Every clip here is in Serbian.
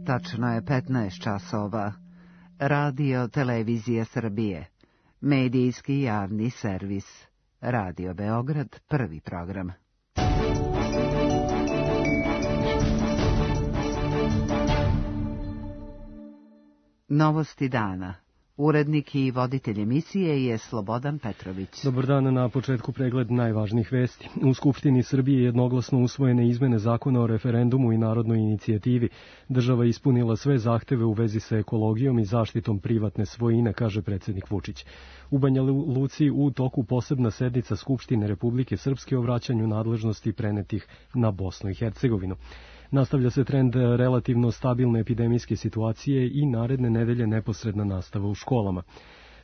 tačno je 15 časova. Radio Televizija Srbije. Medijski javni servis. Radio Beograd, prvi program. Novosti dana. Urednik i voditelj emisije je Slobodan Petrović. Dobar dan, na početku pregled najvažnijih vesti. U Skupštini Srbije jednoglasno usvojene izmene zakona o referendumu i narodnoj inicijativi. Država je ispunila sve zahteve u vezi sa ekologijom i zaštitom privatne svojine, kaže predsjednik Vučić. U Banja Luci u toku posebna sednica Skupštine Republike Srpske o vraćanju nadležnosti prenetih na Bosnu i Hercegovinu. Nastavlja se trend relativno stabilne epidemijske situacije i naredne nedelje neposredna nastava u školama.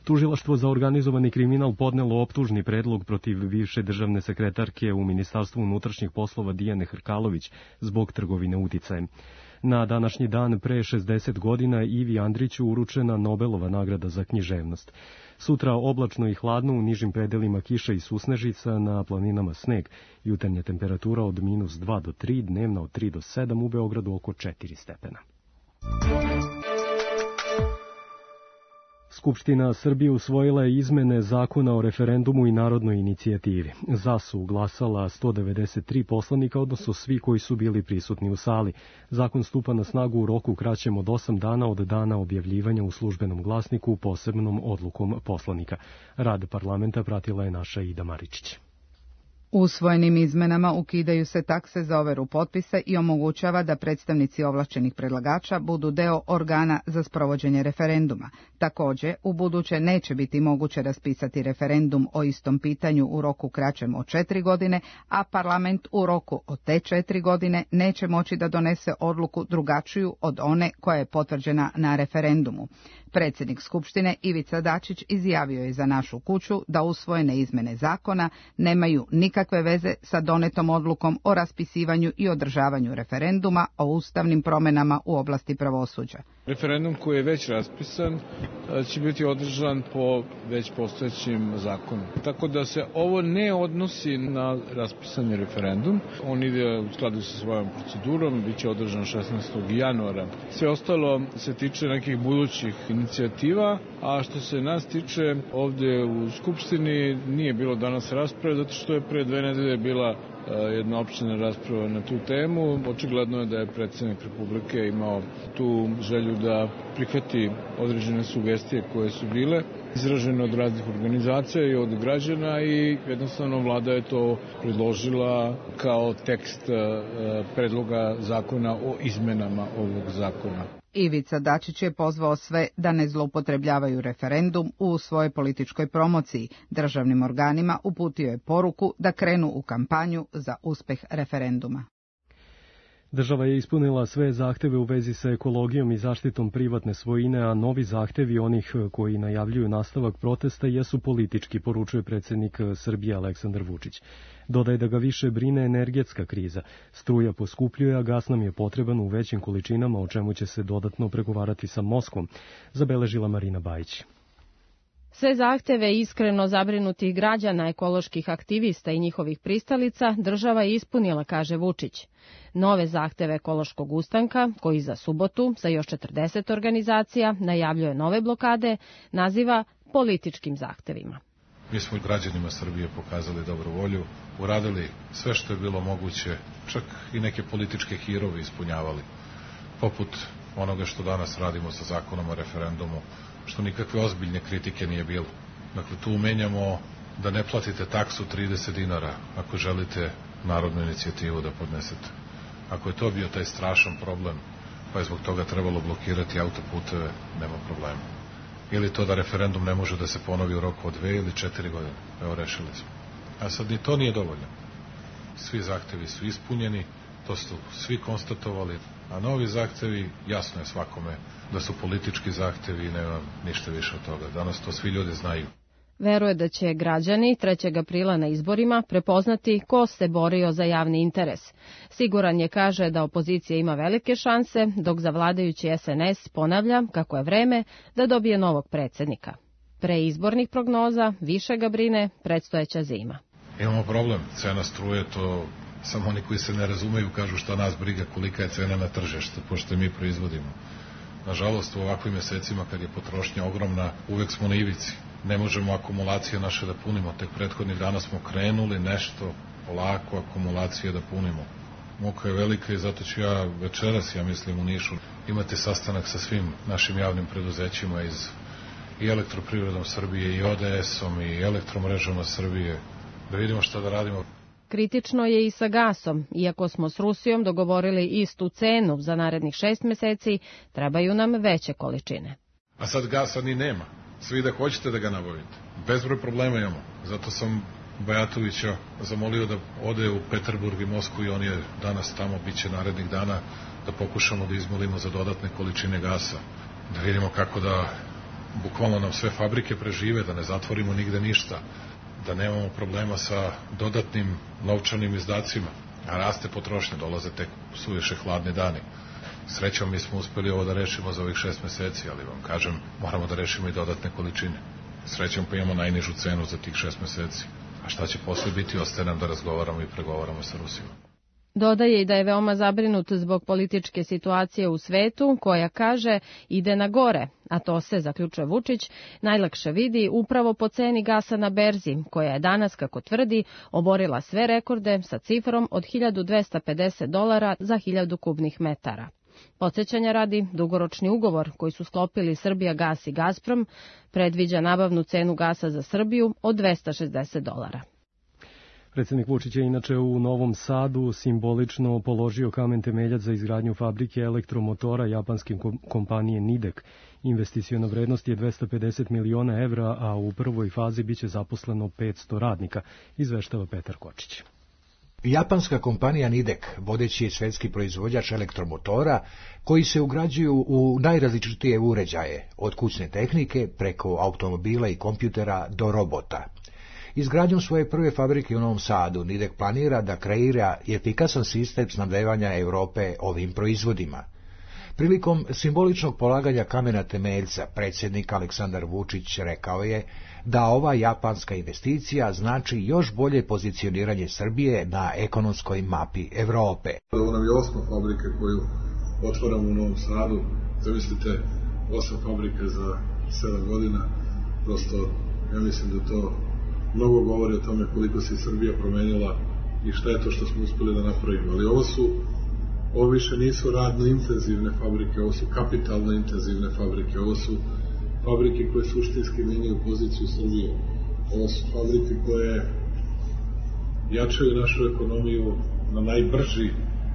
Tužilaštvo za organizovani kriminal podnelo optužni predlog protiv bivše državne sekretarke u Ministarstvu unutrašnjih poslova Dijane Hrkalović zbog trgovine uticajem. Na današnji dan pre 60 godina Ivi Andriću uručena Nobelova nagrada za književnost. Sutra oblačno i hladno, u nižim predelima kiša i susnežica, na planinama sneg. Jutarnja temperatura od -2 do 3, dnevna od 3 do 7, u Beogradu oko 4 stepena. Skupština Srbije usvojila je izmene zakona o referendumu i narodnoj inicijativi. Za su glasala 193 poslanika, odnosno svi koji su bili prisutni u sali. Zakon stupa na snagu u roku kraćem od 8 dana od dana objavljivanja u službenom glasniku posebnom odlukom poslanika. Rad parlamenta pratila je naša Ida Maričić. Usvojenim izmenama ukidaju se takse za overu potpisa i omogućava da predstavnici ovlašćenih predlagača budu deo organa za sprovođenje referenduma. Također, u buduće neće biti moguće raspisati referendum o istom pitanju u roku kraćem od 4 godine, a parlament u roku od te 4 godine neće moći da donese odluku drugačiju od one koja je potvrđena na referendumu. Predsjednik Skupštine Ivica Dačić izjavio je za Našu kuću da usvojene izmene zakona nemaju nikakve veze sa donetom odlukom o raspisivanju i održavanju referenduma o ustavnim promjenama u oblasti pravosuđa. Referendum koji je već raspisan će biti održan po već postojećim zakonu. Tako da se ovo ne odnosi na raspisani referendum. On ide u skladu sa svojom procedurom, bit će održan 16. januara. Sve ostalo se tiče nekih budućih inicijativa, a što se nas tiče ovdje u Skupštini nije bilo danas rasprave, zato što je pre 2 nedelje bila jedna opština rasprava na tu temu. Očigledno je da je predsjednik Republike imao tu želju da prihvati određene sugestije koje su bile izražene od raznih organizacija i od građana i jednostavno vlada je to predložila kao tekst predloga zakona o izmenama ovog zakona. Ivica Dačić je pozvao sve da ne zloupotrebljavaju referendum u svojoj političkoj promociji. Državnim organima uputio je poruku da krenu u kampanju za uspeh referenduma. Država je ispunila sve zahteve u vezi sa ekologijom i zaštitom privatne svojine, a novi zahtevi onih koji najavljuju nastavak protesta jesu politički, poručuje predsjednik Srbije Aleksandar Vučić. Dodaje da ga više brine energetska kriza. Struja poskupljuje, a gas nam je potreban u većim količinama, o čemu će se dodatno pregovarati sa Moskvom, zabeležila Marina Bajić. Sve zahteve iskreno zabrinutih građana, ekoloških aktivista i njihovih pristalica država je ispunila, kaže Vučić. Nove zahteve ekološkog ustanka, koji za subotu sa još 40 organizacija najavljuje nove blokade, naziva političkim zahtevima. Mi smo građanima Srbije pokazali dobru volju, uradili sve što je bilo moguće, čak i neke političke hirove ispunjavali, poput onoga što danas radimo sa zakonom o referendumu, što nikakve ozbiljne kritike nije bilo. Dakle, tu menjamo da ne platite taksu 30 dinara ako želite narodnu inicijativu da podnesete. Ako je to bio taj strašan problem, pa je zbog toga trebalo blokirati autoputeve, nema problema. Ili to da referendum ne može da se ponovi u roku od 2 ili 4 godine. Evo, rešili smo. A sad ni to nije dovoljno. Svi zahtevi su ispunjeni, to su svi konstatovali, a novi zahtevi, jasno je svakome da su politički zahtevi i nema ništa više od toga. Danas to svi ljudi znaju. Veruje da će građani 3. aprila na izborima prepoznati ko se borio za javni interes. Siguran je, kaže, da opozicija ima velike šanse, dok za vladajući SNS ponavlja kako je vreme da dobije novog predsjednika. Pre izbornih prognoza više ga brine predstojeća zima. Imamo problem, cena struje, to Samo oni koji se ne razumeju kažu šta nas briga kolika je cena na tržištu, pošto mi proizvodimo. Nažalost, u ovakvim mesecima kad je potrošnja ogromna, uvek smo na ivici. Ne možemo akumulacije naše da punimo. Tek prethodnih dana smo krenuli nešto polako akumulacije da punimo. Muka je velika i zato ću ja večeras, ja mislim, u Nišu imati sastanak sa svim našim javnim preduzećima i Elektroprivredom Srbije, i ODS-om, i Elektromrežama Srbije, da vidimo šta da radimo. Kritično je i sa gasom. Iako smo s Rusijom dogovorili istu cenu za narednih 6 meseci, trebaju nam veće količine. A sad gasa ni nema. Svi da hoćete da ga nabavite. Bezbroj problema imamo. Zato sam Bajatovića zamolio da ode u Peterburg i Moskvu i on je danas tamo, bit će narednih dana, da pokušamo da izmolimo za dodatne količine gasa. Da vidimo kako da bukvalno nam sve fabrike prežive, da ne zatvorimo nigde ništa, da nemamo problema sa dodatnim novčanim izdacima. A raste potrošnja, dolaze tek suviše hladni dani. Srećom mi smo uspeli ovo da rešimo za ovih 6 meseci, ali vam kažem, moramo da rešimo i dodatne količine. Srećom pa imamo najnižu cenu za tih 6 meseci. A šta će posle biti, ostaje nam da razgovaramo i pregovaramo sa Rusijom. Dodaje i da je veoma zabrinut zbog političke situacije u svetu, koja, kaže, ide na gore, a to se, zaključuje Vučić, najlakše vidi upravo po ceni gasa na berzi, koja je danas, kako tvrdi, oborila sve rekorde sa cifrom od $1.250 za 1000 kubnih metara. Podsjećanja radi, dugoročni ugovor koji su sklopili Srbijagas i Gazprom predviđa nabavnu cenu gasa za Srbiju od $260. Predsjednik Vučić je inače u Novom Sadu simbolično položio kamen temeljac za izgradnju fabrike elektromotora japanske kompanije Nidek. Investiciona vrednost je 250 miliona evra, a u prvoj fazi biće zaposleno 500 radnika, izveštava Petar Kočić. Japanska kompanija Nidek, vodeći svetski proizvođač elektromotora, koji se ugrađuju u najrazličitije uređaje, od kućne tehnike preko automobila i kompjutera do robota. Izgradnjom svoje prve fabrike u Novom Sadu, Nidek planira da kreira efikasan sistem snabdevanja Europe ovim proizvodima. Prilikom simboličnog polaganja kamena temeljca, predsjednik Aleksandar Vučić rekao je da ova japanska investicija znači još bolje pozicioniranje Srbije na ekonomskoj mapi Evrope. Ovo nam je 8. fabrika koju otvaramo u Novom Sadu. Zamislite, 8 fabrika za 7 godina. Prosto, ja mislim da to mnogo govori o tome koliko se Srbija promenila i šta je to što smo uspeli da napravimo. Ali ovo više nisu radno intenzivne fabrike, ovo su kapitalno intenzivne fabrike, ovo su fabrike koje suštinski menjaju poziciju Srbije. Ovo su fabrike koje jačaju našu ekonomiju na najbrži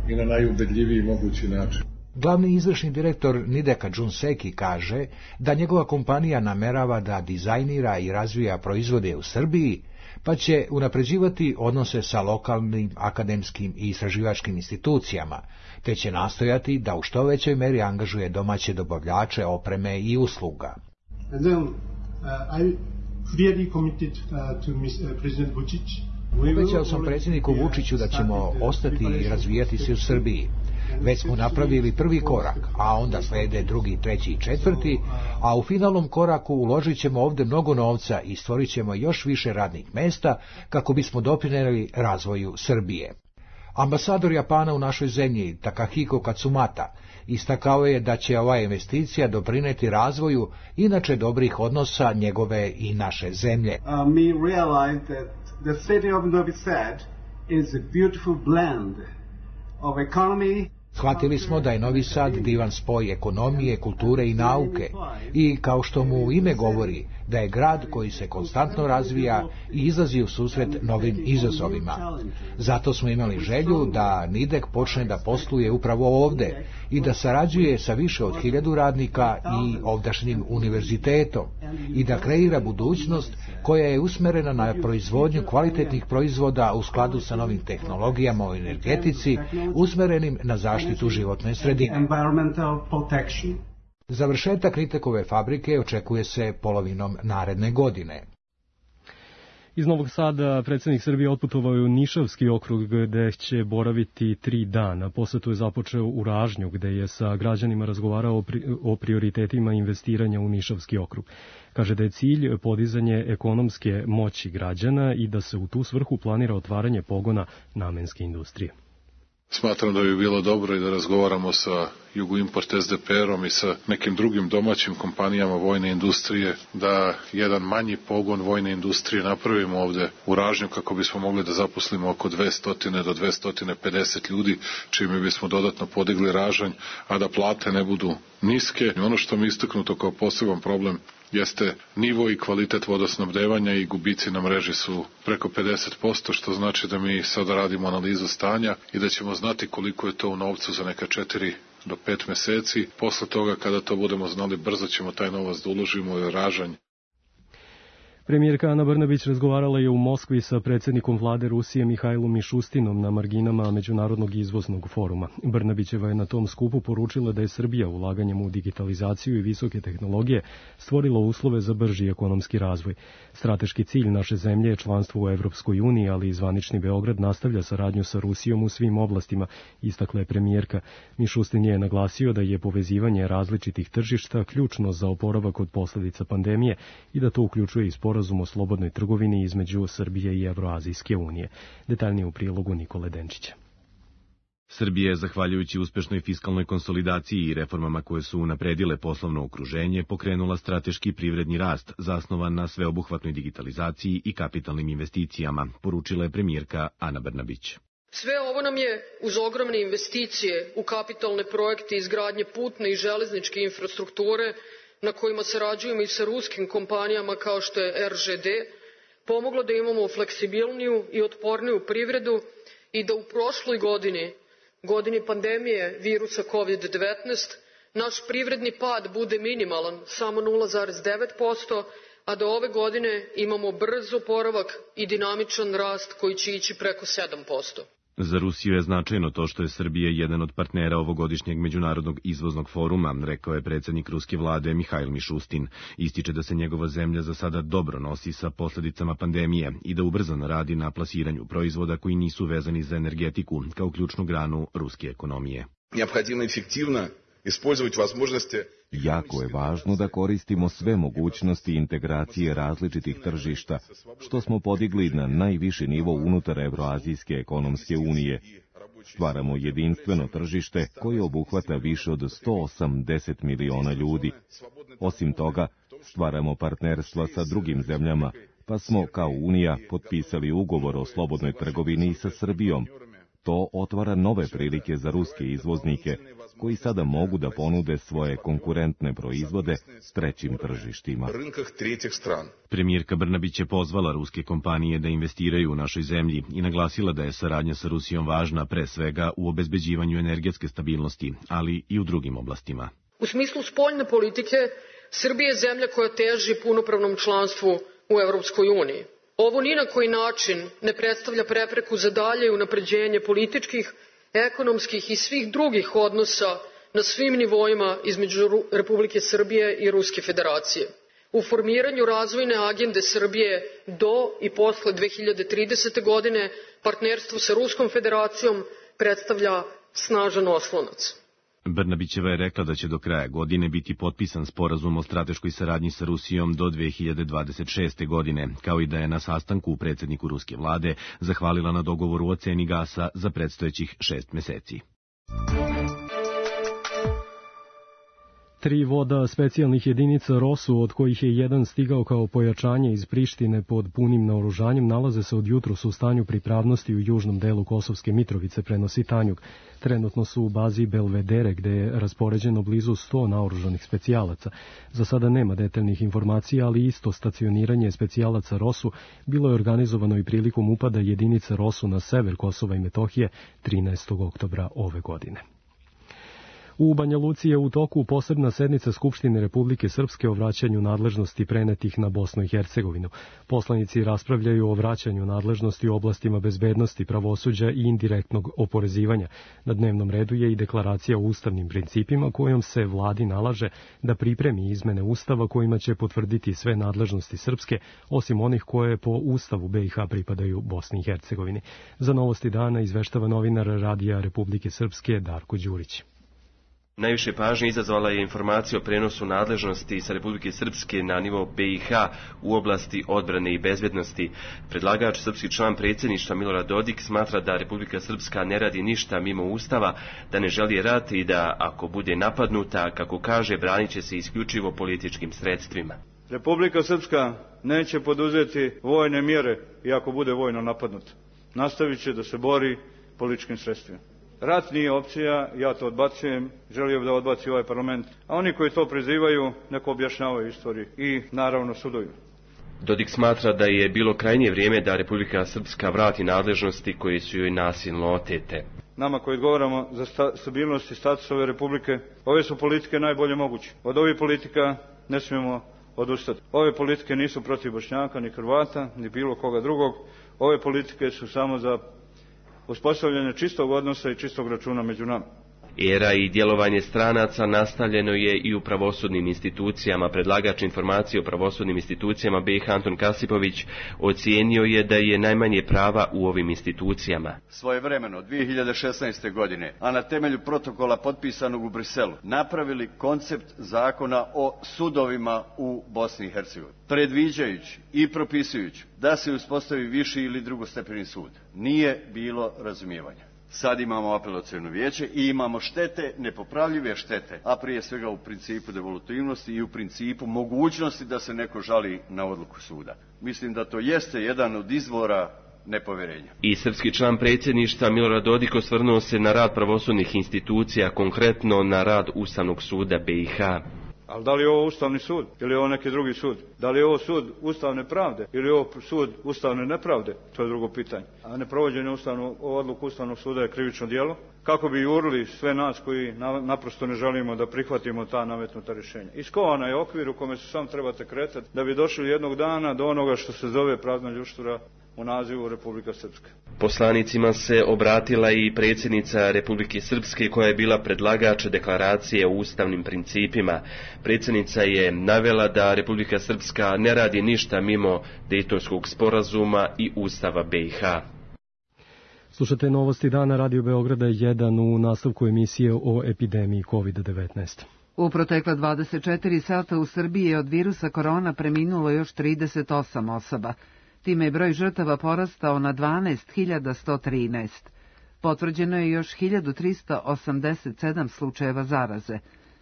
i na najubedljiviji mogući način. Glavni izvršni direktor Nideka Jun Seki kaže da njegova kompanija namerava da dizajnira i razvija proizvode u Srbiji, pa će unapređivati odnose sa lokalnim, akademskim i istraživačkim institucijama, te će nastojati da u što većoj meri angažuje domaće dobavljače opreme i usluga. Obećao sam predsjedniku Vučiću da ćemo ostati i razvijati se u Srbiji. Već smo napravili prvi korak, a onda slede drugi, treći i četvrti, a u finalnom koraku uložit ćemo ovdje mnogo novca i stvorit ćemo još više radnih mesta kako bismo doprinijeli razvoju Srbije. Ambasador Japana u našoj zemlji, Takahiko Katsumata, istakao je da će ova investicija doprinijeti razvoju inače dobrih odnosa njegove i naše zemlje. We realize that the city of Novi Sad is a beautiful blend of economy. Shvatili smo da je Novi Sad divan spoj ekonomije, kulture i nauke i, kao što mu ime govori, da je grad koji se konstantno razvija i izlazi u susret novim izazovima. Zato smo imali želju da Nidek počne da posluje upravo ovde i da sarađuje sa više od 1000 radnika i ovdašnjim univerzitetom i da kreira budućnost koja je usmerena na proizvodnju kvalitetnih proizvoda u skladu sa novim tehnologijama u energetici, usmerenim na zaštitu životne sredine. Završetak Nidekove fabrike očekuje se polovinom naredne godine. Iz Novog Sada predsjednik Srbije otputovao je u Nišavski okrug gde će boraviti 3 dana. Posetu je započeo u Ražnju gde je sa građanima razgovarao o prioritetima investiranja u Nišavski okrug. Kaže da je cilj podizanje ekonomske moći građana i da se u tu svrhu planira otvaranje pogona namenske industrije. Smatram da bi bilo dobro i da razgovaramo sa Jugoimport SDPR-om i sa nekim drugim domaćim kompanijama vojne industrije, da jedan manji pogon vojne industrije napravimo ovde u Ražnju kako bismo mogli da zaposlimo oko 200 do 250 ljudi, čime bismo dodatno podigli Ražanj, a da plate ne budu niske. Ono što mi istaknuto kao poseban problem jeste nivo i kvalitet vodosnabdevanja i gubici na mreži su preko 50%, što znači da mi sada radimo analizu stanja i da ćemo znati koliko je to u novcu za neka 4 do 5 meseci. Posle toga, kada to budemo znali, brzo ćemo taj novac da uložimo u Ražanj. Premijerka Ana Brnabić razgovarala je u Moskvi sa predsjednikom vlade Rusije Mihajlom Mišustinom na marginama Međunarodnog izvoznog foruma. Brnabićeva je na tom skupu poručila da je Srbija ulaganjem u digitalizaciju i visoke tehnologije stvorila uslove za brži ekonomski razvoj. Strateški cilj naše zemlje je članstvo u Evropskoj uniji, ali i zvanični Beograd nastavlja saradnju sa Rusijom u svim oblastima, istakla je premijerka. Mišustin je naglasio da je povezivanje različitih tržišta ključno za oporavak od posljedica pandemije i da to uključuje i sporazum o slobodnoj trgovini između Srbije i Evroazijske unije. Detaljnije u prilogu Nikole Denčića. Srbija je, zahvaljujući uspešnoj fiskalnoj konsolidaciji i reformama koje su unapredile poslovno okruženje, pokrenula strateški privredni rast zasnovan na sveobuhvatnoj digitalizaciji i kapitalnim investicijama, poručila je premijerka Ana Brnabić. Sve ovo nam je, uz ogromne investicije u kapitalne projekte izgradnje putne i železničke infrastrukture, na kojima sarađujemo i sa ruskim kompanijama kao što je RŽD, pomoglo da imamo fleksibilniju i otporniju privredu i da u prošloj godini pandemije virusa COVID-19, naš privredni pad bude minimalan, samo 0,9%, a da ove godine imamo brz oporavak i dinamičan rast koji će ići preko 7%. Za Rusiju je značajno to što je Srbija jedan od partnera ovogodišnjeg Međunarodnog izvoznog foruma, rekao je predsjednik ruske vlade Mihajl Mišustin. Ističe da se njegova zemlja za sada dobro nosi sa posljedicama pandemije i da ubrzano radi na plasiranju proizvoda koji nisu vezani za energetiku kao ključnu granu ruske ekonomije. Neophodimo efektivno ispoljavati возможности. Jako je važno da koristimo sve mogućnosti integracije različitih tržišta, što smo podigli na najviši nivo unutar Evroazijske ekonomske unije. Stvaramo jedinstveno tržište koje obuhvata više od 180 miliona ljudi. Osim toga, stvaramo partnerstva sa drugim zemljama, pa smo kao Unija potpisali ugovor o slobodnoj trgovini sa Srbijom. To otvara nove prilike za ruske izvoznike, koji sada mogu da ponude svoje konkurentne proizvode trećim tržištima. Premijerka Brnabić je pozvala ruske kompanije da investiraju u našoj zemlji i naglasila da je saradnja sa Rusijom važna pre svega u obezbeđivanju energetske stabilnosti, ali i u drugim oblastima. U smislu spoljne politike, Srbija je zemlja koja teži punopravnom članstvu u Evropskoj uniji. Ovo ni na koji način ne predstavlja prepreku za dalje unapređenje političkih, ekonomskih i svih drugih odnosa na svim nivoima između Republike Srbije i Ruske federacije. U formiranju razvojne agende Srbije do i posle 2030. godine partnerstvo sa Ruskom federacijom predstavlja snažan oslonac. Brnabićeva je rekla da će do kraja godine biti potpisan sporazum o strateškoj saradnji sa Rusijom do 2026. godine, kao i da je na sastanku predsjedniku ruske vlade zahvalila na dogovoru o ceni gasa za predstojećih 6 meseci. 3 voda specijalnih jedinica ROSU, od kojih je jedan stigao kao pojačanje iz Prištine pod punim naoružanjem, nalaze se od jutros u stanju pripravnosti u južnom delu Kosovske Mitrovice, prenosi Tanjug. Trenutno su u bazi Belvedere, gde je raspoređeno blizu 100 naoružanih specijalaca. Za sada nema detaljnih informacija, ali isto stacioniranje specijalaca ROSU bilo je organizovano i prilikom upada jedinica ROSU na sever Kosova i Metohije 13. oktobra ove godine. U Banja Luci je u toku posebna sednica Skupštine Republike Srpske o vraćanju nadležnosti prenetih na Bosnu i Hercegovinu. Poslanici raspravljaju o vraćanju nadležnosti u oblastima bezbednosti, pravosuđa i indirektnog oporezivanja. Na dnevnom redu je i deklaracija o ustavnim principima kojom se vladi nalaže da pripremi izmene ustava kojima će potvrditi sve nadležnosti srpske, osim onih koje po ustavu BiH pripadaju Bosni i Hercegovini. Za Novosti dana izveštava novinar Radija Republike Srpske Darko Đurić. Najviše pažnje izazvala je informacija o prenosu nadležnosti sa Republike Srpske na nivo BiH u oblasti odbrane i bezbednosti. Predlagač, srpski član predsjedništva Milorad Dodik, smatra da Republika Srpska ne radi ništa mimo ustava, da ne želi rat i da, ako bude napadnuta, kako kaže, branit će se isključivo političkim sredstvima. Republika Srpska neće poduzeti vojne mjere i ako bude vojno napadnuta. Nastavit će da se bori političkim sredstvima. Rat nije opcija, ja to odbacujem, želio bih da odbaci ovaj parlament, a oni koji to prizivaju neko objašnjavaju istoriji i naravno suduju. Dodik smatra da je bilo krajnje vrijeme da Republika Srpska vrati nadležnosti koje su joj nasilno otete. Nama koji odgovaramo za stabilnost i status ove republike, ove su politike najbolje moguće. Od ovih politika ne smijemo odustati. Ove politike nisu protiv Bošnjaka, ni Hrvata, ni bilo koga drugog. Ove politike su samo za uspostavljanje čistog odnosa i čistog računa među nama. Era i djelovanje stranaca nastavljeno je i u pravosudnim institucijama. Predlagač informacije o pravosudnim institucijama BiH Anton Kasipović ocijenio je da je najmanje prava u ovim institucijama. Svojevremeno, 2016. godine, a na temelju protokola potpisanog u Briselu, napravili koncept zakona o sudovima u Bosni i Hercegovini, predviđajući i propisujući da se uspostavi viši ili drugostepeni sud. Nije bilo razumijevanja. Sad imamo apelaciono vijeće i imamo štete, nepopravljive štete, a prije svega u principu devolutivnosti i u principu mogućnosti da se neko žali na odluku suda. Mislim da to jeste jedan od izvora nepovjerenja. I srpski član predsjedništva Milorad Dodik osvrnuo se na rad pravosudnih institucija, konkretno na rad Ustavnog suda BiH. Ali da li je ovo Ustavni sud ili je ovo neki drugi sud? Da li je ovo sud ustavne pravde ili je ovo sud ustavne nepravde? To je drugo pitanje. A neprovođenje odluku Ustavnog suda je krivično djelo. Kako bi jurili sve nas koji naprosto ne želimo da prihvatimo ta nametnuta rješenja. Iskovana je okvir u kome se sam trebate kretati da bi došli jednog dana do onoga što se zove prazna ljuštura u nazivu Republika Srpska. Poslanicima se obratila i predsjednica Republike Srpske koja je bila predlagač deklaracije o ustavnim principima. Predsjednica je navela da Republika Srpska ne radi ništa mimo Dejtonskog sporazuma i Ustava BiH. Slušate Novosti dana Radio Beograda 1 u nastavku emisije o epidemiji COVID-19. U protekla 24 sata u Srbiji je od virusa korona preminulo još 38 osoba. Time je broj žrtava porastao na 12.113. Potvrđeno je još 1.387 slučajeva zaraze.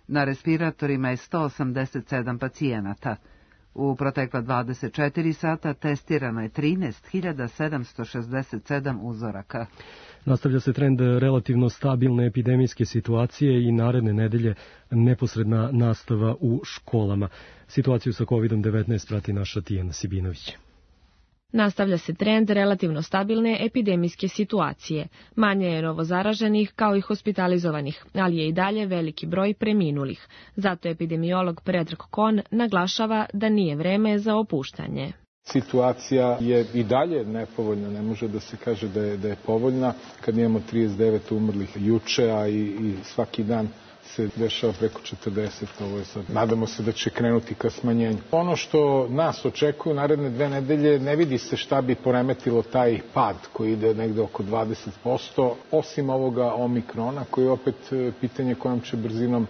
Na respiratorima je 187 pacijenata. U protekla 24 sata testirano je 13.767 uzoraka. Nastavlja se trend relativno stabilne epidemijske situacije i naredne nedelje neposredna nastava u školama. Situaciju sa COVID-19 prati naša Tijana Sibinović. Nastavlja se trend relativno stabilne epidemijske situacije. Manje je novozaraženih kao i hospitalizovanih, ali je i dalje veliki broj preminulih. Zato epidemiolog Predrag Kon naglašava da nije vreme za opuštanje. Situacija je i dalje nepovoljna, ne može da se kaže da je povoljna. Kad imamo 39 umrlih juče, a i svaki dan se dešava preko 40, ovo je sad. Nadamo se da će krenuti ka smanjenju. Ono što nas očekuje naredne 2 nedelje, ne vidi se šta bi poremetilo taj pad koji ide negde oko 20%, osim ovoga omikrona, koji je opet pitanje kojom će brzinom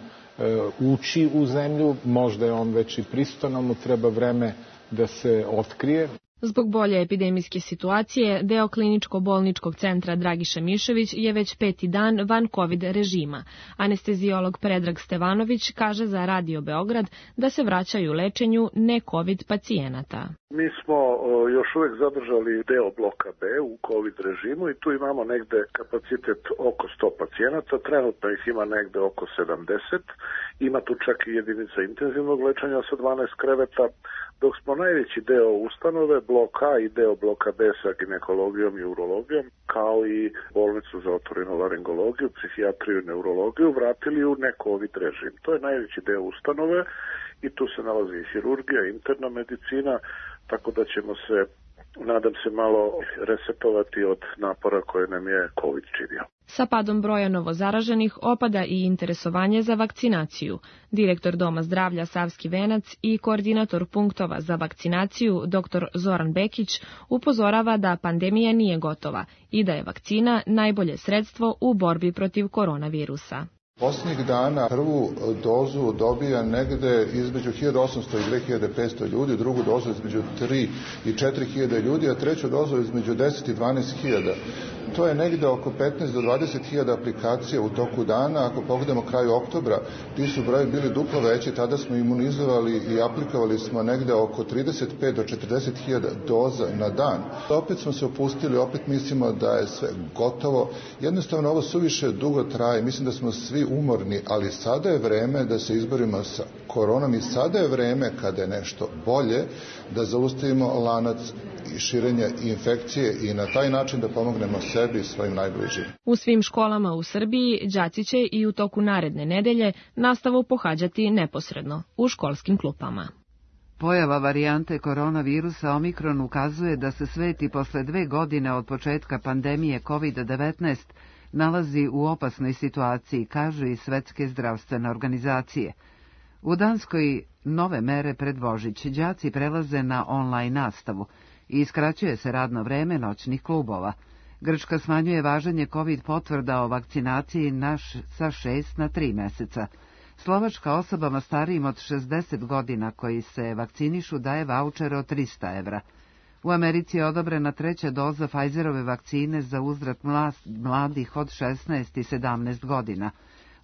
ući u zemlju. Možda je on već i prisutan, ali mu treba vreme da se otkrije. Zbog bolje epidemijske situacije, deo kliničko-bolničkog centra Dragiša Mišević je već 5. dan van COVID režima. Anesteziolog Predrag Stevanović kaže za Radio Beograd da se vraćaju lečenju ne-COVID pacijenata. Mi smo još uvijek zadržali deo bloka B u COVID režimu i tu imamo negde kapacitet oko 100 pacijenata. Trenutno ih ima negde oko 70. Ima tu čak i jedinica intenzivnog lečenja sa 12 kreveta. dok smo najveći deo ustanove, blok A i deo bloka B sa ginekologijom i urologijom, kao i bolnicu za otorinolaringologiju, psihijatriju i neurologiju, vratili u nekovid režim. To je najveći deo ustanove i tu se nalazi i hirurgija, interna medicina, tako da ćemo se, nadam se, malo resetovati od napora koje nam je COVID činio. Sa padom broja novozaraženih opada i interesovanje za vakcinaciju. Direktor Doma zdravlja Savski Venac i koordinator punktova za vakcinaciju dr. Zoran Bekić upozorava da pandemija nije gotova i da je vakcina najbolje sredstvo u borbi protiv koronavirusa. Posljednjih dana prvu dozu dobija negde između 1800 i 2500 ljudi, drugu dozu između 3 i 4000 ljudi, a treću dozu između 10 i 12.000. To je negde oko 15 do 20.000 aplikacija u toku dana. Ako pogledamo kraju oktobra, ti su broje bili duplo veći, tada smo imunizovali i aplikovali smo negde oko 35 do 40.000 doza na dan. Opet smo se opustili, opet mislimo da je sve gotovo. Jednostavno ovo suviše dugo traje, mislim da smo svi umorni, ali sada je vreme da se izborimo sa koronom i sada je vreme kada je nešto bolje da zaustavimo lanac širenja infekcije i na taj način da pomognemo sebi i svojim najbližim. U svim školama u Srbiji đaci će i u toku naredne nedelje nastavu pohađati neposredno u školskim klupama. Pojava varijante koronavirusa Omikron ukazuje da se svet i posle 2 godine od početka pandemije COVID-19 nalazi u opasnoj situaciji, kažu i Svetske zdravstvene organizacije. U Danskoj nove mere pred Božić đaci prelaze na online nastavu i skraćuje se radno vreme noćnih klubova. Grčka smanjuje važenje COVID potvrda o vakcinaciji sa 6 na 3 meseca. Slovačka osobama starijim od 60 godina koji se vakcinišu daje vaučer od 300 evra. U Americi je odobrena 3. doza Pfizerove vakcine za uzrast mladih od 16 i 17 godina.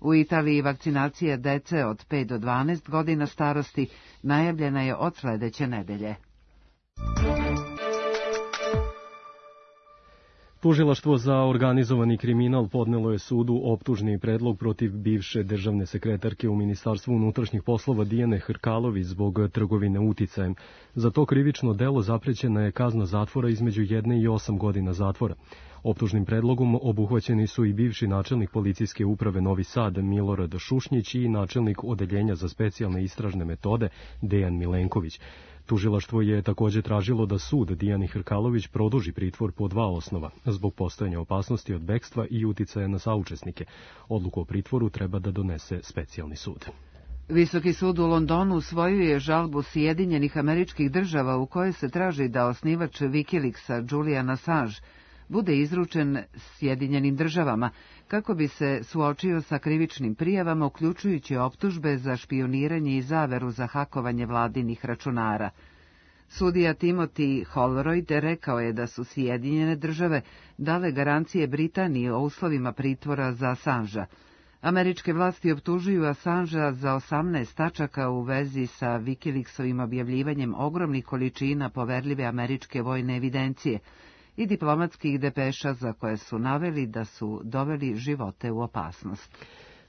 U Italiji vakcinacija dece od 5 do 12 godina starosti najavljena je od sledeće nedelje. Tužilaštvo za organizovani kriminal podnelo je sudu optužni predlog protiv bivše državne sekretarke u Ministarstvu unutrašnjih poslova Dijane Hrkalović zbog trgovine uticajem. Za to krivično delo zaprećena je kazna zatvora između 1 i 8 godina zatvora. Optužnim predlogom obuhvaćeni su i bivši načelnik policijske uprave Novi Sad Milorad Šušnjić i načelnik odeljenja za specijalne istražne metode Dejan Milenković. Tužilaštvo je također tražilo da sud Dijani Hrkalović produži pritvor po 2 osnova, zbog postojanja opasnosti od bekstva i uticaja na saučesnike. Odluku o pritvoru treba da donese specijalni sud. Visoki sud u Londonu usvojio je žalbu Sjedinjenih Američkih Država u kojoj se traži da osnivač Wikileaksa Julian Assange bude izručen Sjedinjenim Državama kako bi se suočio sa krivičnim prijavama, uključujući optužbe za špijuniranje i zaveru za hakovanje vladinih računara. Sudija Timothy Holroyd rekao je da su Sjedinjene Države dale garancije Britaniji o uslovima pritvora za Assangea. Američke vlasti optužuju Assangea za 18 tačaka u vezi sa Wikileaksovim objavljivanjem ogromnih količina poverljive američke vojne evidencije i diplomatskih depeša za koje su naveli da su doveli živote u opasnost.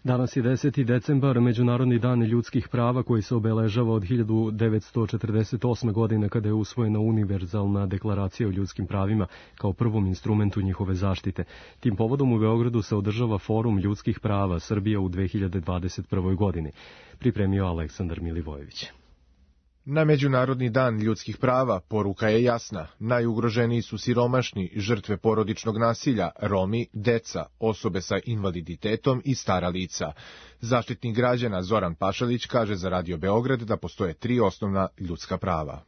Danas je 10. decembar, Međunarodni dan ljudskih prava koji se obeležava od 1948. godine kada je usvojena univerzalna deklaracija o ljudskim pravima kao prvom instrumentu njihove zaštite. Tim povodom u Beogradu se održava Forum ljudskih prava Srbija u 2021. godini. Pripremio Aleksandar Milivojević. Na Međunarodni dan ljudskih prava poruka je jasna. Najugroženiji su siromašni, žrtve porodičnog nasilja, Romi, deca, osobe sa invaliditetom i stara lica. Zaštitnik građana Zoran Pašalić kaže za Radio Beograd da postoje 3 osnovna ljudska prava.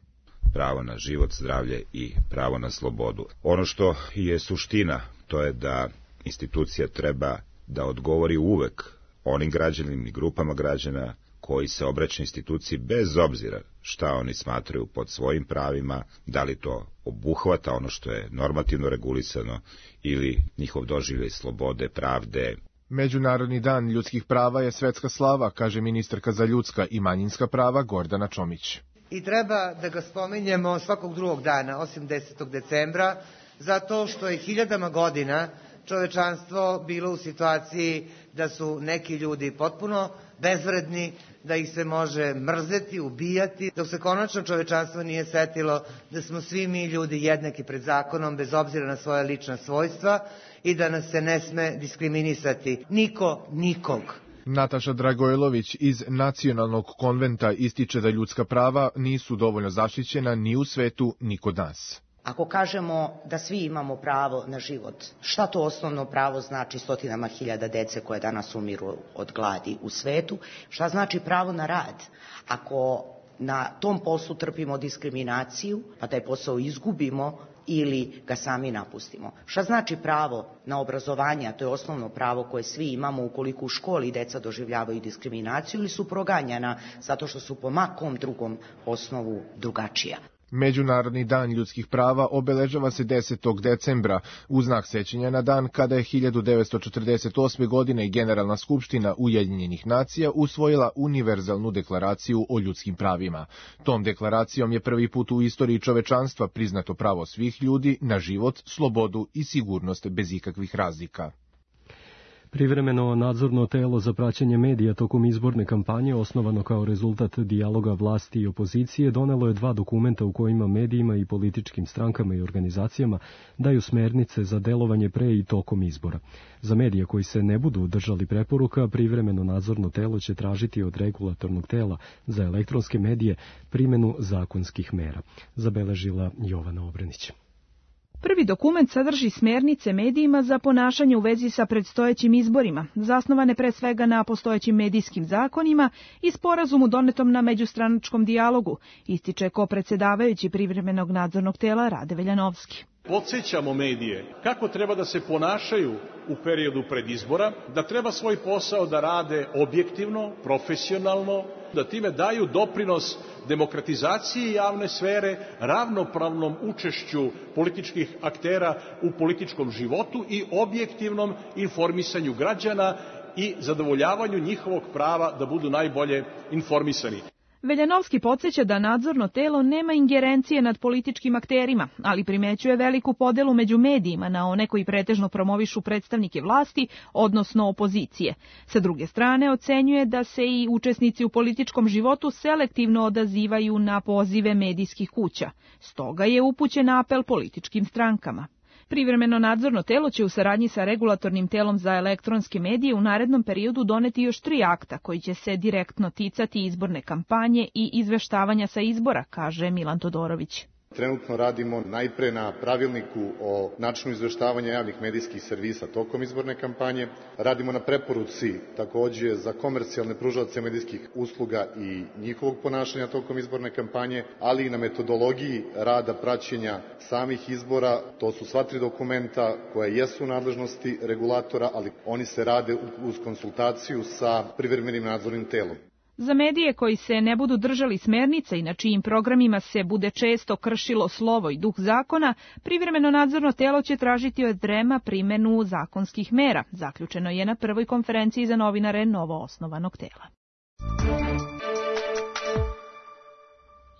Pravo na život, zdravlje i pravo na slobodu. Ono što je suština, to je da institucija treba da odgovori uvek onim građanima i grupama građana koji se obraćaju instituciji bez obzira šta oni smatraju pod svojim pravima, da li to obuhvata ono što je normativno regulisano ili njihov doživljaj slobode, pravde. Međunarodni dan ljudskih prava je svetska slava, kaže ministarka za ljudska i manjinska prava Gordana Čomić. I treba da ga spominjemo svakog drugog dana, osim 10. decembra, zato što je hiljadama godina čovečanstvo bilo u situaciji da su neki ljudi potpuno bezvredni, da ih se može mrzeti, ubijati, dok se konačno čovečanstvo nije setilo da smo svi mi ljudi jednaki pred zakonom, bez obzira na svoja lična svojstva i da nas se ne sme diskriminisati. Niko, nikog. Nataša Dragojlović iz Nacionalnog konventa ističe da ljudska prava nisu dovoljno zaštićena ni u svetu, ni kod nas. Ako kažemo da svi imamo pravo na život, šta to osnovno pravo znači stotinama hiljada dece koje danas umiru od gladi u svetu? Šta znači pravo na rad? Ako na tom poslu trpimo diskriminaciju, pa taj posao izgubimo ili ga sami napustimo. Šta znači pravo na obrazovanje, a to je osnovno pravo koje svi imamo ukoliko u školi deca doživljavaju diskriminaciju ili su proganjana zato što su po makom drugom osnovu drugačija. Međunarodni dan ljudskih prava obeležava se 10. decembra u znak sećanja na dan kada je 1948. godine Generalna skupština Ujedinjenih nacija usvojila univerzalnu deklaraciju o ljudskim pravima. Tom deklaracijom je prvi put u istoriji čovečanstva priznato pravo svih ljudi na život, slobodu i sigurnost bez ikakvih razlika. Privremeno nadzorno telo za praćenje medija tokom izborne kampanje, osnovano kao rezultat dijaloga vlasti i opozicije, donelo je 2 dokumenta u kojima medijima i političkim strankama i organizacijama daju smernice za delovanje pre i tokom izbora. Za medije koji se ne budu držali preporuka, privremeno nadzorno telo će tražiti od regulatornog tela za elektronske medije primjenu zakonskih mera, zabeležila Jovana Obrenić. Prvi dokument sadrži smernice medijima za ponašanje u vezi sa predstojećim izborima, zasnovane pre svega na postojećim medijskim zakonima i sporazumu donetom na međustranačkom dijalogu, ističe kopredsedavajući privremenog nadzornog tela Rade Veljanovski. Podsjećamo medije kako treba da se ponašaju u periodu pred izbora, da treba svoj posao da rade objektivno, profesionalno, da time daju doprinos demokratizaciji javne sfere, ravnopravnom učešću političkih aktera u političkom životu i objektivnom informisanju građana i zadovoljavanju njihovog prava da budu najbolje informisani. Veljanovski podsjeća da nadzorno telo nema ingerencije nad političkim akterima, ali primećuje veliku podelu među medijima na one koji pretežno promovišu predstavnike vlasti, odnosno opozicije. Sa druge strane, ocenjuje da se i učesnici u političkom životu selektivno odazivaju na pozive medijskih kuća. Stoga je upućen apel političkim strankama. Privremeno nadzorno telo će u saradnji sa regulatornim telom za elektronske medije u narednom periodu doneti još 3 akta koji će se direktno ticati izborne kampanje i izveštavanja sa izbora, kaže Milan Todorović. Trenutno radimo najpre na pravilniku o načinu izveštavanja javnih medijskih servisa tokom izborne kampanje. Radimo na preporuci takođe za komercijalne pružaoce medijskih usluga i njihovog ponašanja tokom izborne kampanje, ali i na metodologiji rada praćenja samih izbora. To su sva 3 dokumenta koja jesu u nadležnosti regulatora, ali oni se rade uz konsultaciju sa privremenim nadzornim telom. Za medije koji se ne budu držali smernica i na čijim programima se bude često kršilo slovo i duh zakona, privremeno nadzorno telo će tražiti od REM-a primjenu zakonskih mera, zaključeno je na prvoj konferenciji za novinare novoosnovanog tela.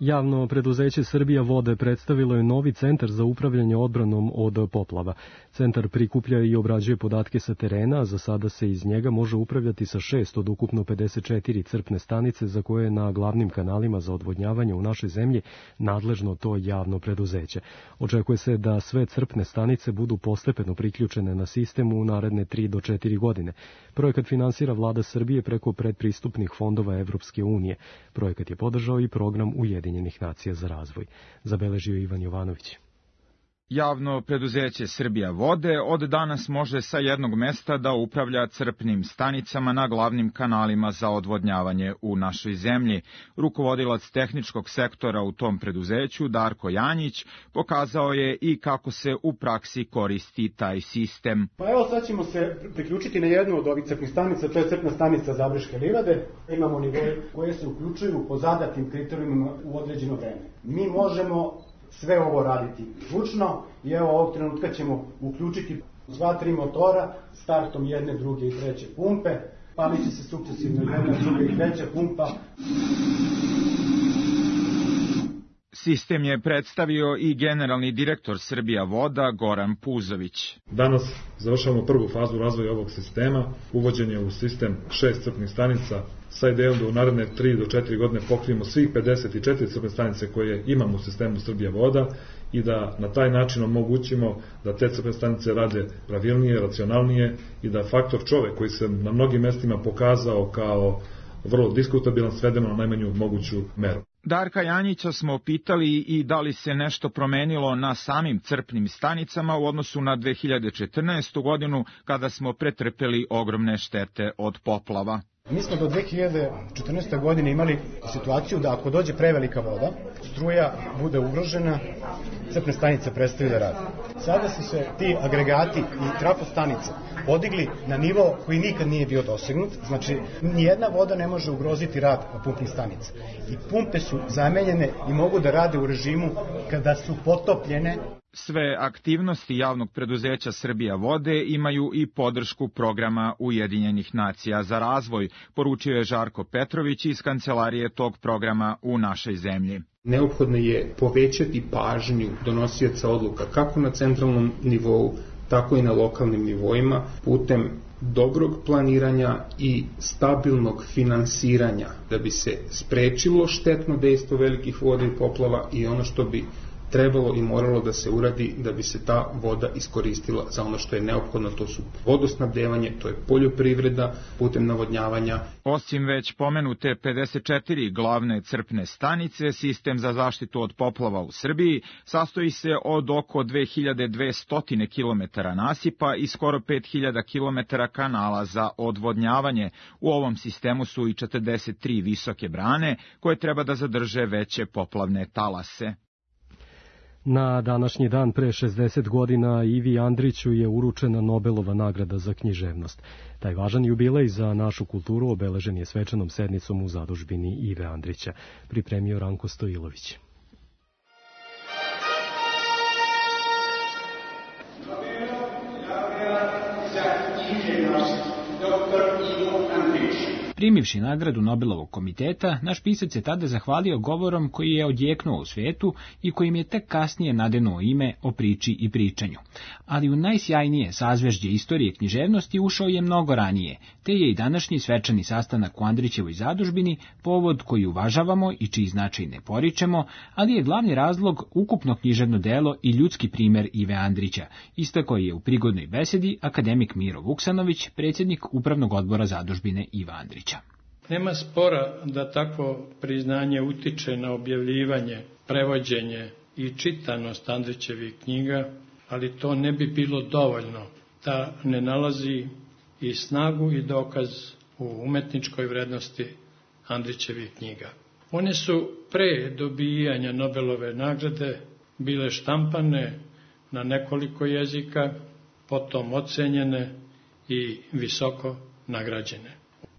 Javno preduzeće Srbija vode predstavilo je novi centar za upravljanje odbranom od poplava. Centar prikuplja i obrađuje podatke sa terena, a za sada se iz njega može upravljati sa 6 od ukupno 54 crpne stanice za koje je na glavnim kanalima za odvodnjavanje u našoj zemlji nadležno to javno preduzeće. Očekuje se da sve crpne stanice budu postepeno priključene na sistem u naredne 3 do 4 godine. Projekat finansira vlada Srbije preko predpristupnih fondova Evropske unije. Projekat je podržao i program Ujedinjenih nacija za razvoj, zabeležio Ivan Jovanović. Javno preduzeće Srbija vode od danas može sa jednog mesta da upravlja crpnim stanicama na glavnim kanalima za odvodnjavanje u našoj zemlji. Rukovodilac tehničkog sektora u tom preduzeću, Darko Janjić, pokazao je i kako se u praksi koristi taj sistem. Pa evo sad ćemo se priključiti na jednu od ovih crpnih stanica, to je crpna stanica Zabrške livade. Imamo nivoje koje se uključuju po zadatim kriterijumima u određeno vreme. Mi možemo sve ovo raditi zvučno i evo ovog trenutka ćemo uključiti sva 3 motora startom jedne, druge i treće pumpe. Palit će se sukcesivno jedna, druga i treća pumpa. Sistem je predstavio i generalni direktor Srbija voda Goran Puzović. Danas završavamo prvu fazu razvoja ovog sistema, uvođenje u sistem 6 crpnih stanica sa idejom da u naredne 3 do 4 godine pokrijemo svih 54 crpne stanice koje imamo u sistemu Srbija voda i da na taj način omogućimo da te crpne stanice rade pravilnije, racionalnije i da faktor čovek koji se na mnogim mestima pokazao kao vrlo diskutabilan svedemo na najmanju moguću meru. Darka Janjića smo pitali i da li se nešto promenilo na samim crpnim stanicama u odnosu na 2014. godinu kada smo pretrpeli ogromne štete od poplava. Mi smo do 2014. godine imali situaciju da ako dođe prevelika voda, struja bude ugrožena, crpne stanice prestaju da rade. Sada su se ti agregati i trafostanice podigli na nivo koji nikad nije bio dosegnut, znači nijedna voda ne može ugroziti rad pumpnih stanica. I pumpe su zamenjene i mogu da rade u režimu kada su potopljene. Sve aktivnosti javnog preduzeća Srbija vode imaju i podršku programa Ujedinjenih nacija za razvoj, poručio je Žarko Petrović iz kancelarije tog programa u našoj zemlji. Neophodno je povećati pažnju donosioca odluka kako na centralnom nivou, tako i na lokalnim nivoima, putem dobrog planiranja i stabilnog finansiranja da bi se sprečilo štetno dejstvo velikih voda i poplava i ono što bi trebalo i moralo da se uradi da bi se ta voda iskoristila za ono što je neophodno, to su vodosnabdevanje, to je poljoprivreda putem navodnjavanja. Osim već pomenute 54 glavne crpne stanice, sistem za zaštitu od poplava u Srbiji sastoji se od oko 2200 km nasipa i skoro 5000 km kanala za odvodnjavanje. U ovom sistemu su i 43 visoke brane koje treba da zadrže veće poplavne talase. Na današnji dan pre 60 godina Ivi Andriću je uručena Nobelova nagrada za književnost. Taj važan jubilej za našu kulturu obeležen je svečanom sednicom u zadužbini Ive Andrića, pripremio Ranko Stojilović. Primivši nagradu Nobelovog komiteta, naš pisac je tada zahvalio govorom koji je odjeknuo u svetu i kojim je tek kasnije nadenuo ime o priči i pričanju. Ali u najsjajnije sazvežđe istorije književnosti ušao je mnogo ranije, te je i današnji svečani sastanak u Andrićevoj zadužbini povod koji uvažavamo i čiji značaj ne poričemo, ali je glavni razlog ukupno književno delo i ljudski primer Ive Andrića, istakao je u prigodnoj besedi akademik Miro Vuksanović, predsjednik Upravnog odbora zadužbine Iva Andrića. Nema spora da takvo priznanje utiče na objavljivanje, prevođenje i čitanost Andrićevih knjiga, ali to ne bi bilo dovoljno da ne nalazi i snagu i dokaz u umetničkoj vrednosti Andrićevih knjiga. One su pre dobijanja Nobelove nagrade bile štampane na nekoliko jezika, potom ocenjene i visoko nagrađene.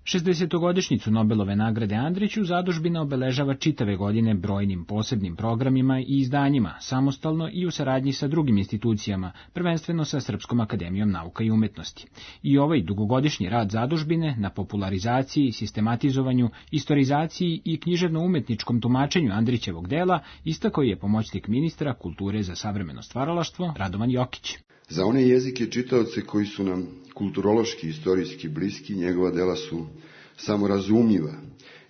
60-godišnjicu Nobelove nagrade Andriću zadužbina obeležava čitave godine brojnim posebnim programima i izdanjima, samostalno i u saradnji sa drugim institucijama, prvenstveno sa Srpskom akademijom nauka i umetnosti. I ovaj dugogodišnji rad zadužbine na popularizaciji, sistematizovanju, istorizaciji i književno-umetničkom tumačenju Andrićevog dela istakao je pomoćnik ministra kulture za savremeno stvaralaštvo Radovan Jokić. Za one jezike čitaoce koji su nam kulturološki i istorijski bliski, njegova dela su samorazumljiva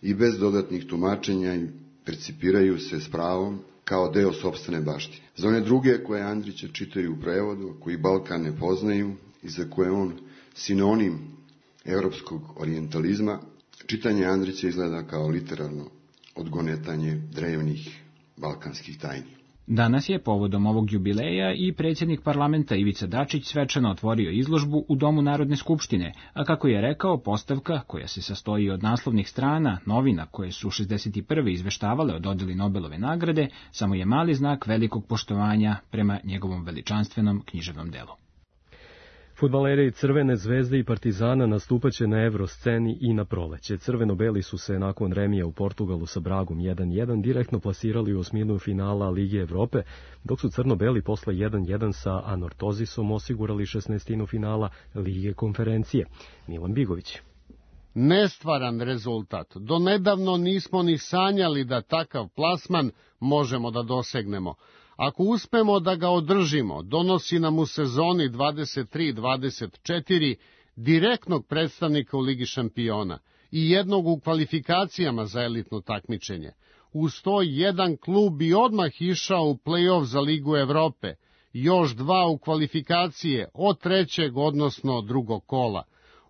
i bez dodatnih tumačenja i percipiraju se s pravom kao deo sopstvene baštine. Za one druge koje Andrića čitaju u prevodu, koji Balkan ne poznaju i za koje on sinonim evropskog orijentalizma, čitanje Andrića izgleda kao literarno odgonetanje drevnih balkanskih tajni. Danas je povodom ovog jubileja i predsjednik parlamenta Ivica Dačić svečano otvorio izložbu u Domu Narodne skupštine, a kako je rekao, postavka, koja se sastoji od naslovnih strana, novina koje su 61. izveštavale o dodeli Nobelove nagrade, samo je mali znak velikog poštovanja prema njegovom veličanstvenom književnom delu. Fudbaleri Crvene zvezde i Partizana nastupaće na Evrosceni i na proleće. Crveno-beli su se nakon remija u Portugalu sa Bragom 1-1 direktno plasirali u osminu finala Lige Evrope, dok su crno-beli posle 1-1 sa Anortozisom osigurali 16. finala Lige konferencije. Milan Bigović. Nestvaran rezultat. Donedavno nismo ni sanjali da takav plasman možemo da dosegnemo. Ako uspemo da ga održimo, donosi nam u sezoni 23-24 direktnog predstavnika u Ligi šampiona i jednog u kvalifikacijama za elitno takmičenje. Uz to jedan klub bi odmah išao u play-off za Ligu Evrope, još 2 u kvalifikacije od 3. odnosno 2. kola.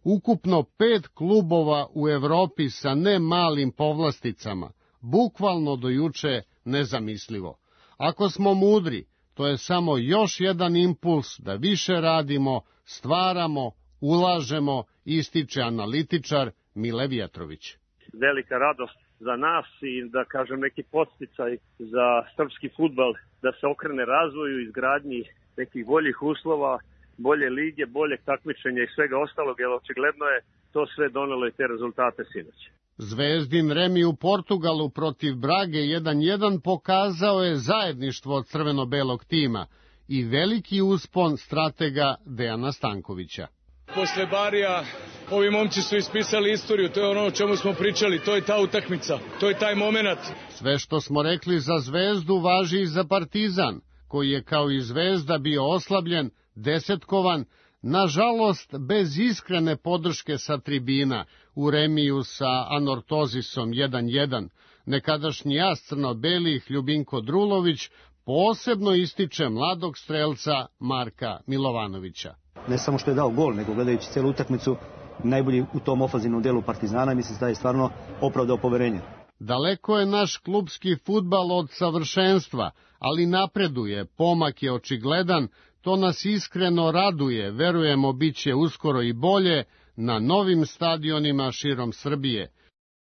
Ukupno 5 klubova u Evropi sa ne malim povlasticama, bukvalno do juče nezamislivo. Ako smo mudri, to je samo još jedan impuls da više radimo, stvaramo, ulažemo, ističe analitičar Mile Vjetrović. Velika radost za nas i da kažem neki podsticaj za srpski fudbal da se okrene razvoju, izgradnji nekih boljih uslova, bolje lige, boljeg takmičenja i svega ostalog, jer očigledno je to sve donelo i te rezultate sinoć. Zvezdin remi u Portugalu protiv Brage 1-1 pokazao je zajedništvo od crveno-belog tima i veliki uspon stratega Dejana Stankovića. Posle Barija ovi momci su ispisali istoriju, to je ono o čemu smo pričali, to je ta utakmica, to je taj moment. Sve što smo rekli za Zvezdu važi i za Partizan, koji je kao i Zvezda bio oslabljen, desetkovan, nažalost bez iskrene podrške sa tribina u remiju sa Anortozisom 1-1. Nekadašnji as crno-belih Ljubinko Drulović posebno ističe mladog strelca Marka Milovanovića. Ne samo što je dao gol, nego gledajući celu utakmicu, najbolji u tom ofanzivnom delu Partizana, mislim da je stvarno opravdao poverenje. Daleko je naš klubski fudbal od savršenstva, ali napreduje, pomak je očigledan, to nas iskreno raduje, verujemo biće uskoro i bolje na novim stadionima širom Srbije.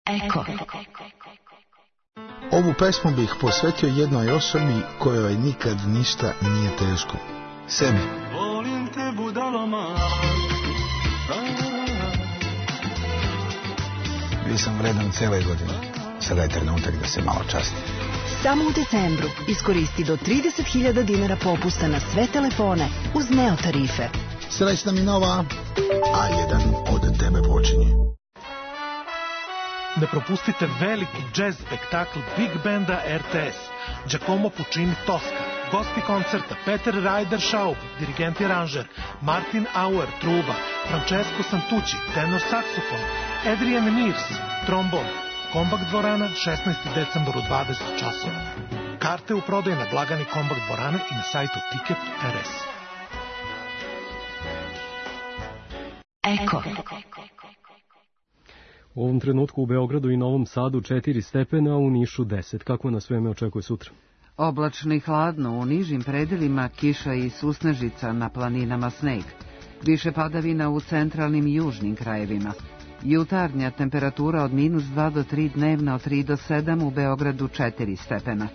Eko. Ovu pesmu bih posvetio jednoj osobi kojoj nikad ništa nije teško. Sebi. Volim te budaloma. Bio sam vredan cele godine. Sada je trenutak da se malo častim. Samo u decembru iskoristi do 30.000 dinara popusta na sve telefone uz Neo tarife. Srećna mi nova, A1 od tebe počinje. Ne propustite veliki džez spektakl Big Banda RTS, Giacomo Puccini Tosca, gosti koncerta Peter Ryder Schaub, dirigent i aranžer, Martin Auer, truba, Francesco Santucci, tenor saksofon, Adrian Mears, trombon. Kombakt dvorana, 16. decembar u 20 časova. Karte u prodaju na blagani Kombakt dvorane i na sajtu Ticket.rs. Eko. U ovom trenutku u Beogradu i Novom Sadu 4 stepena, a u Nišu 10. Kako nas vreme očekuje sutra? Oblačno i hladno, u nižim predelima kiša i susnežica, na planinama sneg. Više padavina u centralnim i južnim krajevima. Jutarnja temperatura od -2 do 3, dnevna od 3 do 7, u Beogradu 4 stepena.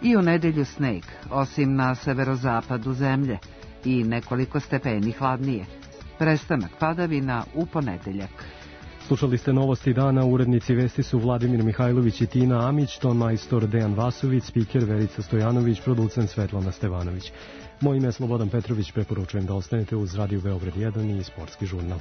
I u nedelju sneg, osim na severozapadu zemlje, i nekoliko stepeni hladnije. Prestanak padavina u ponedeljak. Slušali ste novosti dana, urednici vesti su Vladimir Mihajlović i Tina Amić, ton majstor Dejan Vasović, spiker Verica Stojanović, producent Svetlana Stevanović. Moje ime je Slobodan Petrović, preporučujem da ostanete uz Radio Beograd 1 i Sportski žurnal.